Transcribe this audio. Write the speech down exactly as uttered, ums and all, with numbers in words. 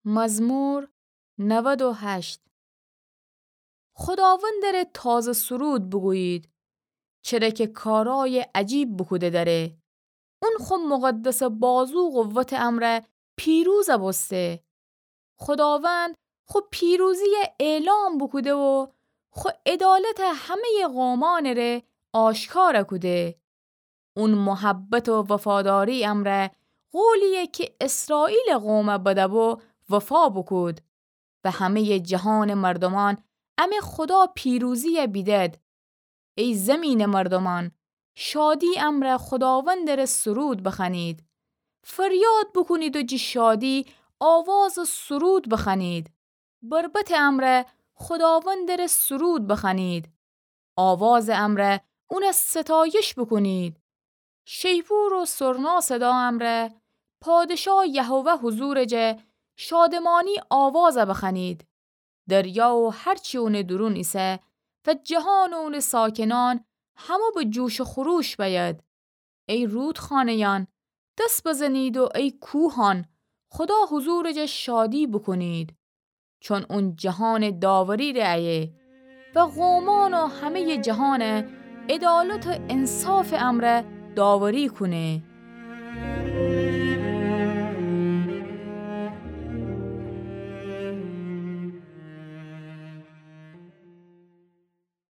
مزمور نود و هشت. خوداوندٚ ره تازه سرود بوگویید، چره کی کارأیٚ عجیب بوکوده دأره. اون خو مقدسٚ بازو قوتٚ امرأ پیروز بوسته. خوداوند خو پیروزیی اعلام بوکوده و خو عدالت همه‌یٚ قومأنٚ ره آشکار کوده. اون محبت و وفاداریی امرأ قولیی کی اسرائیلٚ قوم بده‌بو وفا بوکود و همه‌یٚ جهانٚ مردومأن امه خودا پیروزیی بیدد. ای زیمینٚ مردومأن، شادی امرأ خوداوندٚ ره سرود بخوأنید. فریاد بوکونید و جٚه شادی آوازٚ سرود بخوأنید. بربطٚ امرأ خوداوندٚ ره سرود بخوأنید. آوازٚ امرأ اون ستایش بوکونید. شیپور و سرنا صدا امرأ پادشاه یهوه حضورٚ جا شادمانی آواز بخوأنید. دریا و هر چی اونٚ دورون ایسه و جهان و اونٚ ساکنأن همه به جوش و خروش بأید. ای رودخانه‌یأن، دس بزنید و ای کوهأن، خودا حضورٚ جا شادی بوکونید. چون اون جهانٚ داوری ره ایه و قومأن و همه‌یٚ جهان عدالت و انصافٚ امرأ داوری کونه.